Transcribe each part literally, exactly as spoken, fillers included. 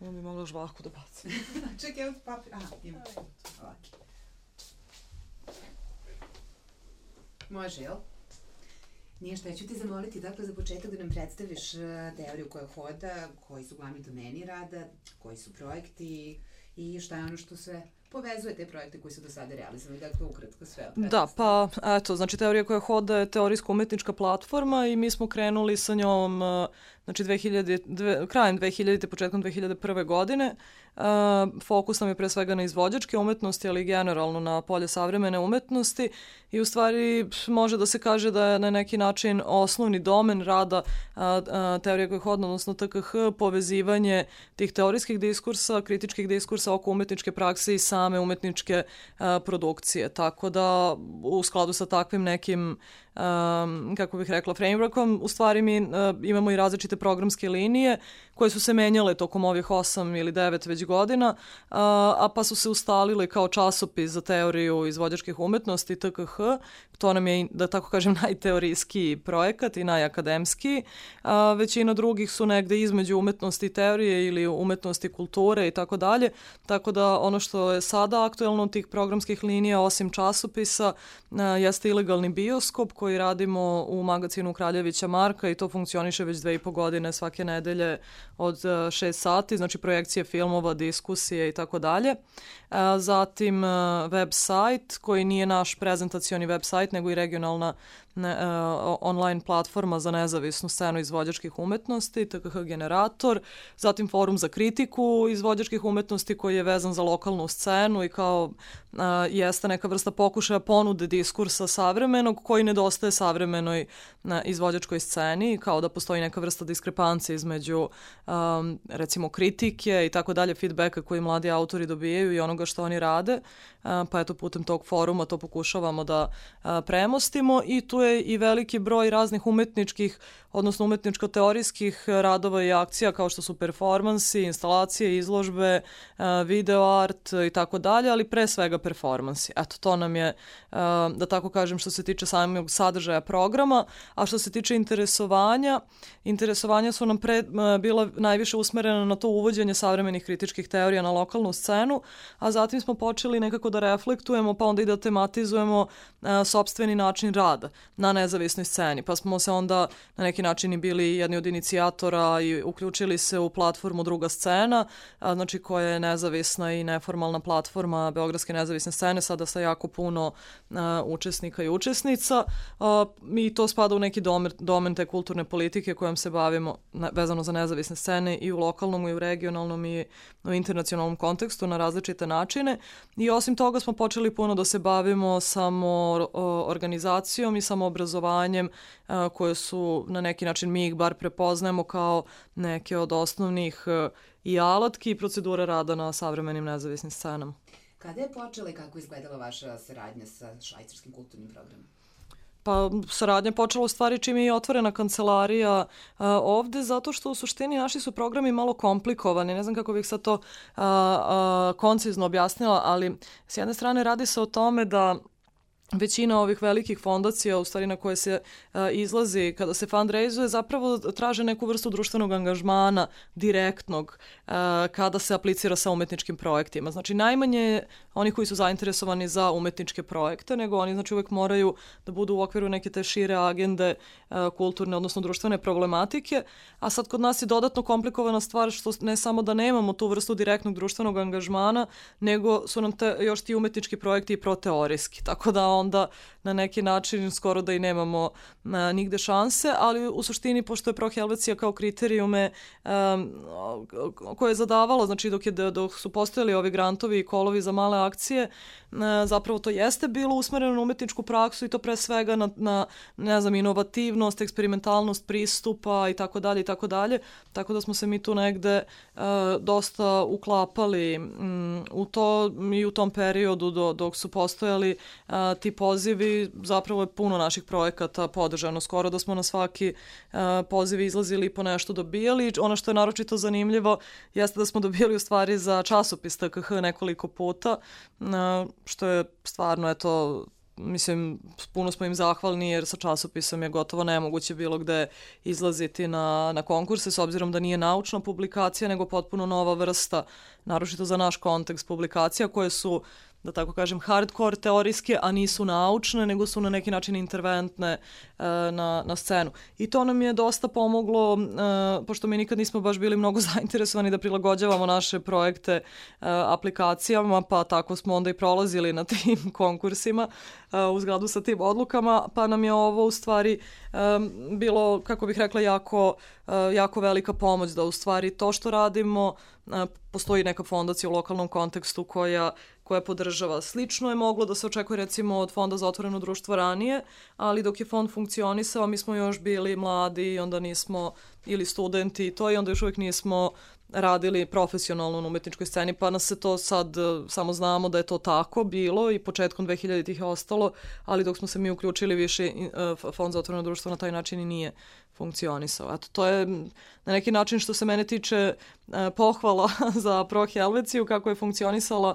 Ovo bi mogla žvaku da bacim. Čekaj, evo papir. Aha, ima. Ovako. Može, jel? Nije šta, ja ću ti zamoliti dakle za početak da nam predstaviš teoriju koja hoda, koji su glavni domeni rada, koji su projekti i šta je ono što sve povezuje te projekte koji su do sada realizovali. Dakle, ukratko sve. Da, pa eto, znači teorija koja hoda je teorijsko-umetnička platforma i mi smo krenuli sa njom znači dve hiljade, dve, krajem dve hiljadite. početkom dve hiljade prve. godine. Uh, fokus nam je pre svega na izvođačke umetnosti, ali generalno na polje savremene umetnosti i u stvari može da se kaže da je na neki način osnovni domen rada uh, uh, teorije koja hoda, odnosno T K H, povezivanje tih teorijskih diskursa, kritičkih diskursa oko umetničke prakse i same umetničke uh, produkcije. Tako da u skladu sa takvim nekim Um, kako bih rekla, frameworkom, u stvari mi uh, imamo i različite programske linije koje su se menjale tokom ovih osam ili devet već godina, uh, a pa su se ustalile kao časopis za teoriju izvođačkih umetnosti T K H. To nam je, da tako kažem, najteorijskiji projekat i najakademskiji. Uh, većina drugih su negde između umetnosti i teorije ili umetnosti kulture i tako dalje. Tako da ono što je sada aktuelno od tih programskih linija, osim časopisa, uh, jeste ilegalni bioskop koji koji radimo u magazinu Kraljevića Marka i to funkcioniše već dve i po godine svake nedelje od šest sati, znači projekcije filmova, diskusije i tako dalje. Zatim web sajt koji nije naš prezentacioni web sajt nego i regionalna ne, uh, online platforma za nezavisnu scenu izvođačkih umetnosti, T K H generator, zatim forum za kritiku izvođačkih umetnosti koji je vezan za lokalnu scenu i kao uh, jeste neka vrsta pokušaja ponude diskursa savremenog koji nedostaje savremenoj uh, izvođačkoj sceni, kao da postoji neka vrsta diskrepancije između um, recimo kritike i tako dalje, feedbacka koji mladi autori dobijaju i onoga što oni rade, uh, pa eto putem tog foruma to pokušavamo da uh, premostimo i tu je i veliki broj raznih umetničkih, odnosno umetničko-teorijskih radova i akcija kao što su performansi, instalacije, izložbe, video art i tako dalje, ali pre svega performansi. Eto, to nam je, da tako kažem, što se tiče samog sadržaja programa, a što se tiče interesovanja, interesovanja su nam pre, bila najviše usmerena na to uvođenje savremenih kritičkih teorija na lokalnu scenu, a zatim smo počeli nekako da reflektujemo, pa onda i da tematizujemo sopstveni način rada na nezavisnoj sceni, pa smo se onda na neki način i bili jedni od inicijatora i uključili se u platformu Druga scena, a, znači koja je nezavisna i neformalna platforma Beogradske nezavisne scene, sada sa jako puno a, učesnika i učesnica. A, mi to spada u neki domen, domen te kulturne politike kojom se bavimo ne, vezano za nezavisne scene i u lokalnom i u regionalnom i u internacionalnom kontekstu na različite načine. I osim toga smo počeli puno da se bavimo samo o, organizacijom i samo obrazovanjem a, koje su na neki način mi ih bar prepoznajemo kao neke od osnovnih a, i alatki i procedure rada na savremenim nezavisnim scenama. Kada je počela i kako izgledala vaša saradnja sa švajcarskim kulturnim programom? Pa saradnja počela u stvari čim je otvorena kancelarija a, ovde, zato što u suštini naši su programi malo komplikovani. Ne znam kako bih sad to a, a, koncizno objasnila, ali s jedne strane radi se o tome da većina ovih velikih fondacija, u stvari na koje se uh, izlazi kada se fundraizuje, zapravo traže neku vrstu društvenog angažmana direktnog uh, kada se aplicira sa umetničkim projektima. Znači najmanje oni koji su zainteresovani za umetničke projekte, nego oni znači uvek moraju da budu u okviru neke te šire agende uh, kulturne, odnosno društvene problematike, a sad kod nas je dodatno komplikovana stvar što ne samo da nemamo tu vrstu direktnog društvenog angažmana, nego su nam te, još ti umetnički projekti i proteorijski, tako da onda na neki način skoro da i nemamo a, nigde šanse, ali u suštini pošto je Pro Helvecija kao kriterijume a, koje je zadavalo, znači dok, je, dok su postojali ovi grantovi i kolovi za male akcije, a, zapravo to jeste bilo usmereno na umetničku praksu i to pre svega na, na ne znam, inovativnost, eksperimentalnost pristupa i tako dalje i tako dalje, tako da smo se mi tu negde a, dosta uklapali m, u to i u tom periodu do, dok su postojali a, ti pozivi, zapravo je puno naših projekata podržano, skoro da smo na svaki uh, poziv izlazili i po nešto dobijali. Ono što je naročito zanimljivo jeste da smo dobijali u stvari za časopis T K H nekoliko puta, uh, što je stvarno eto mislim, puno smo im zahvalni jer sa časopisom je gotovo nemoguće bilo gde izlaziti na, na konkurse, s obzirom da nije naučna publikacija, nego potpuno nova vrsta, naročito za naš kontekst publikacija koje su, da tako kažem, hardcore teorijske, a nisu naučne, nego su na neki način interventne e, na, na scenu. I to nam je dosta pomoglo, e, pošto mi nikad nismo baš bili mnogo zainteresovani da prilagođavamo naše projekte e, aplikacijama, pa tako smo onda i prolazili na tim konkursima e, u zgradu sa tim odlukama, pa nam je ovo u stvari e, bilo, kako bih rekla, jako, e, jako velika pomoć da u stvari to što radimo, e, postoji neka fondacija u lokalnom kontekstu koja koja podržava. Slično je moglo da se očekuje recimo od Fonda za otvoreno društvo ranije, ali dok je fond funkcionisao, mi smo još bili mladi i onda nismo, ili studenti i to, i onda još uvijek nismo radili profesionalno na umetničkoj sceni, pa nas se to sad, samo znamo da je to tako bilo i početkom dvehiljaditih je ostalo, ali dok smo se mi uključili više, Fond za otvoreno društvo na taj način i nije funkcionisao. Eto, to je na neki način što se mene tiče pohvala za Pro Helveciju, kako je funkcionisala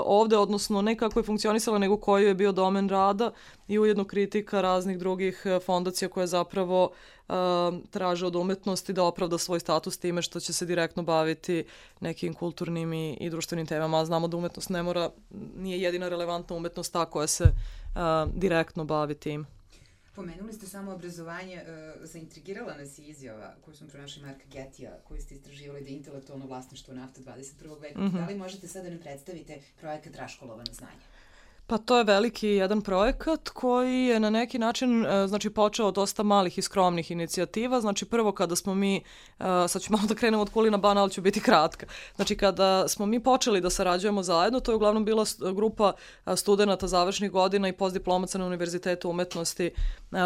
ovde, odnosno ne kako je funkcionisala, nego koji je bio domen rada i ujedno kritika raznih drugih fondacija koje zapravo traže od umetnosti da opravda svoj status time što će se direktno baviti nekim kulturnim i, i društvenim temama. A znamo da umetnost ne mora, nije jedina relevantna umetnost ta koja se uh, direktno bavi tim. Pomenuli ste samo obrazovanje, uh, zaintrigirala nas je izjava koju smo pronašli Marka Getija, koju ste istraživali da je intelektualno vlasništvo nafta dvadeset prvog veka. Mm-hmm. Da li možete sada da nam predstavite projekat Raškolovano znanje? Pa to je veliki jedan projekat koji je na neki način, znači, počeo od dosta malih i skromnih inicijativa. Znači, prvo kada smo mi, sad ću malo da krenemo od Kulina bana, ali ću biti kratka. Znači, kada smo mi počeli da sarađujemo zajedno, to je uglavnom bila grupa studenta završnih godina i postdiplomaca na Univerzitetu umetnosti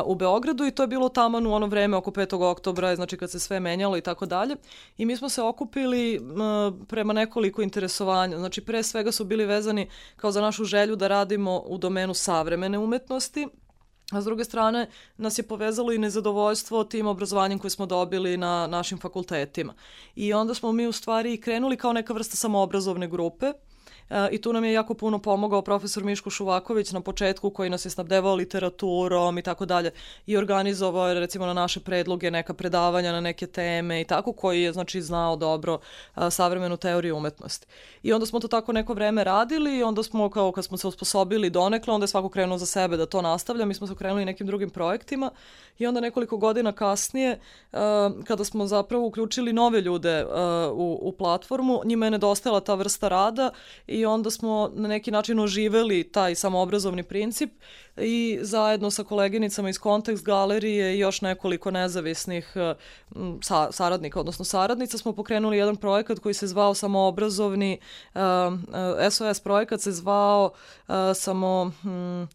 u Beogradu i to je bilo taman u ono vreme oko petog oktobra, znači kad se sve menjalo i tako dalje. I mi smo se okupili prema nekoliko interesovanja. Znači, pre svega su bili vezani kao za našu želju da radimo u domenu savremene umetnosti, a s druge strane nas je povezalo i nezadovoljstvo tim obrazovanjem koje smo dobili na našim fakultetima. I onda smo mi u stvari krenuli kao neka vrsta samoobrazovne grupe. I tu nam je jako puno pomogao profesor Miško Šuvaković na početku, koji nas je snabdevao literaturom i tako dalje i organizovao recimo na naše predloge neka predavanja na neke teme i tako, koji je znači znao dobro a, savremenu teoriju umetnosti. I onda smo to tako neko vreme radili i onda smo kao kad smo se osposobili donekle, onda je svako krenuo za sebe da to nastavlja, mi smo se krenuli nekim drugim projektima i onda nekoliko godina kasnije a, kada smo zapravo uključili nove ljude a, u, u platformu, njima je nedostajala ta vrsta rada i onda smo na neki način oživeli taj samoobrazovni princip i zajedno sa koleginicama iz Kontekst galerije i još nekoliko nezavisnih sa, saradnika, odnosno saradnica, smo pokrenuli jedan projekat koji se zvao samoobrazovni, uh, uh, S O S projekat se zvao uh, samo... Hmm,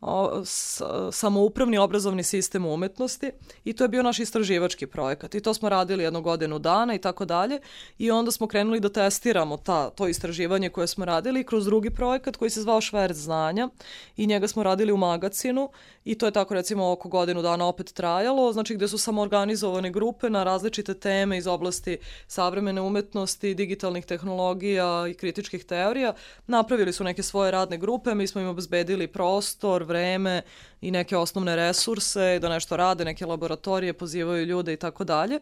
O, s, samoupravni obrazovni sistem umetnosti i to je bio naš istraživački projekat i to smo radili jednu godinu dana i tako dalje i onda smo krenuli da testiramo ta, to istraživanje koje smo radili kroz drugi projekat koji se zvao Šverc znanja i njega smo radili u magacinu i to je tako recimo oko godinu dana opet trajalo, znači gde su samoorganizovane grupe na različite teme iz oblasti savremene umetnosti, digitalnih tehnologija i kritičkih teorija, napravili su neke svoje radne grupe, mi smo im obezbedili prostor, vreme i neke osnovne resurse, da nešto rade, neke laboratorije, pozivaju ljude i tako dalje.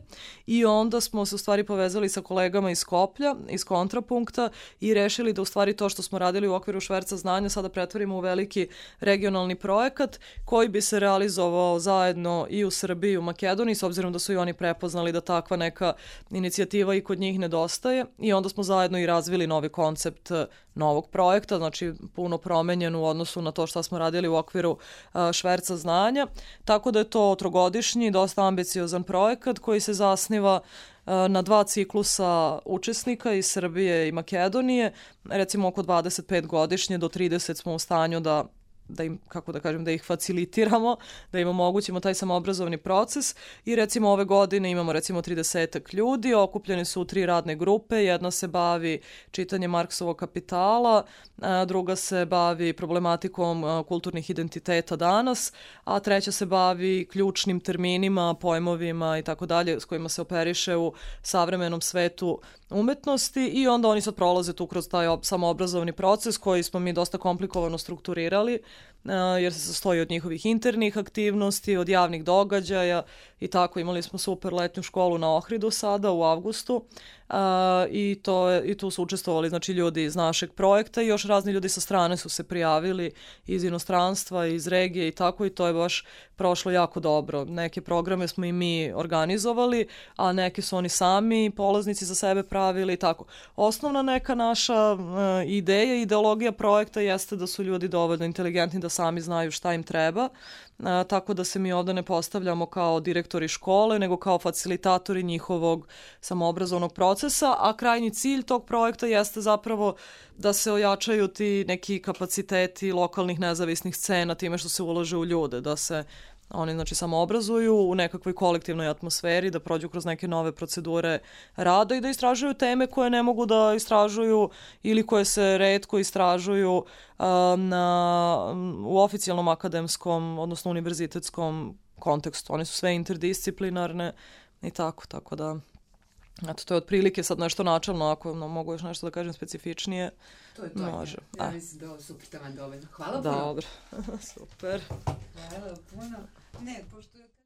I onda smo se u stvari povezali sa kolegama iz Skoplja, iz Kontrapunkta i rešili da u stvari to što smo radili u okviru Šverca znanja sada pretvorimo u veliki regionalni projekat koji bi se realizovao zajedno i u Srbiji i u Makedoniji, s obzirom da su i oni prepoznali da takva neka inicijativa i kod njih nedostaje. I onda smo zajedno i razvili novi koncept novog projekta, znači puno promenjen u odnosu na to što smo radili u okviru uh, Šverca znanja, tako da je to trogodišnji, dosta ambiciozan projekat koji se zasniva uh, na dva ciklusa učesnika iz Srbije i Makedonije, recimo oko dvadeset pet godišnje do trideset smo u stanju da da im, kako da kažem, da ih facilitiramo, da im omogućimo taj samoobrazovni proces i recimo ove godine imamo recimo tridesetak ljudi, okupljeni su u tri radne grupe, jedna se bavi čitanjem Marksovog Kapitala, druga se bavi problematikom kulturnih identiteta danas, a treća se bavi ključnim terminima, pojmovima i tako dalje s kojima se operiše u savremenom svetu umetnosti i onda oni sad prolaze tu kroz taj samoobrazovni proces koji smo mi dosta komplikovano strukturirali jer se sastoji od njihovih internih aktivnosti, od javnih događaja i tako. Imali smo super letnju školu na Ohridu sada u avgustu i, to je, i tu su učestvovali znači, ljudi iz našeg projekta i još razni ljudi sa strane su se prijavili iz inostranstva, iz regije i tako i to je baš prošlo jako dobro. Neke programe smo i mi organizovali, a neke su oni sami polaznici za sebe pravili i tako. Osnovna neka naša uh, ideja, ideologija projekta jeste da su ljudi dovoljno inteligentni da sami znaju šta im treba, uh, tako da se mi ovde ne postavljamo kao direktori škole, nego kao facilitatori njihovog samoobrazovnog procesa, a krajnji cilj tog projekta jeste zapravo da se ojačaju ti neki kapaciteti lokalnih nezavisnih scena time što se ulaže u ljude, da se oni znači samo obrazuju u nekakvoj kolektivnoj atmosferi, da prođu kroz neke nove procedure rada i da istražuju teme koje ne mogu da istražuju ili koje se retko istražuju uh, na, u oficijalnom akademskom, odnosno univerzitetskom kontekstu. One su sve interdisciplinarne i tako, tako da eto, to je otprilike sad nešto načalno, ako no, mogu još nešto da kažem specifičnije. To je to. Može. Ja, ja mislim da je ovo super taman dovoljno. Hvala puno. Dobro. Super. Hvala puno. Ne, pošto je...